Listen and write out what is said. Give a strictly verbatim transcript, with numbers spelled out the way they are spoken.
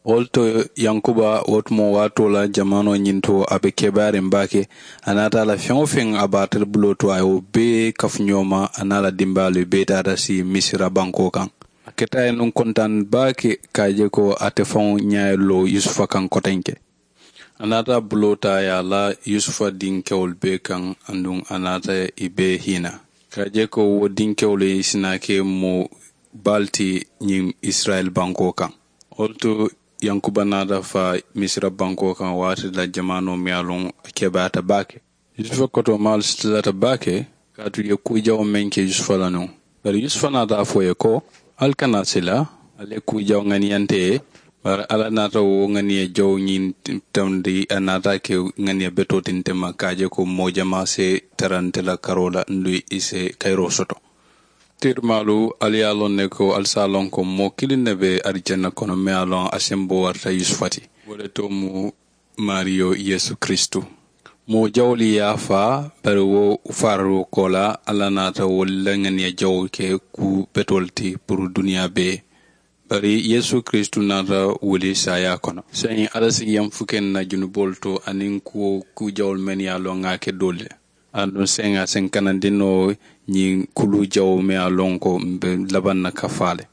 Wo le to yankuba wo tumoo waatoo la jamaanoo ñiŋ to a be kebaariŋ baake. A naata a la feŋ-wo-feŋ a be ate le buloo to a ye wo bee kafu ñoo ma a niŋ a la dimbaalu i bee taata si misira bankoo kaŋ. A keta a ye nuŋ kontaani baake ka a je ko ate faŋo ñaa ye loo yusufa kaŋ kotenke. A naata a buloo taa a ye a la yusufa dinkewolu bee kaŋ. Aduŋ a naata i bee hiina ka a je ko wo dinkewolu ye i si naa ke moo baalu ti ñiŋ isirayila bankoo kaŋ. Wo le to yankuba naata faa misira bankoo kaŋ waati la jamaanoo miŋ ye a loŋ a kebaata baake. Yusufa kotoomaalu sitilata baake kaatu i ye kuu jawoo meŋ ke yusufa la nuŋ. Bari yusufa naata a fo i ye ko, ali kana sila, ali ye kuu jawoo ŋaniyante ye. Bari alla naata wo ŋaniya jawoo ñiŋ tamandi a naata a ke ŋaniya betoo ti nte ma ka a je ko moo jamaa si tara nte la karoo la nduŋ i si kayiroo soto. Tirimaalu ali ye a loŋ ne ko ali si a loŋ ko moo kiliŋ ne be arijanna kono meŋ ye a loŋ a sembo warata yusufa ti. Wo le to mu maariyo yeesu kiristu. Moo jawoolu ye a faa bari wo faararoo koolaa alla naata wolu la ŋaniya jawoo ke kuu betoolu ti puru duniyaa bee. Bari yeesu kiristu naata wuli saayaa kono saayiŋ alla si yemfukeŋ na junuboolu to aniŋ kuwo kuu jawoolu mennu ye a loŋ ŋa a ke doolu le. Aduŋ saayiŋ a si n kanandi noo ñiŋ kuluu jawoo mennu ye a loŋ ko m be labaŋ na ka faa le.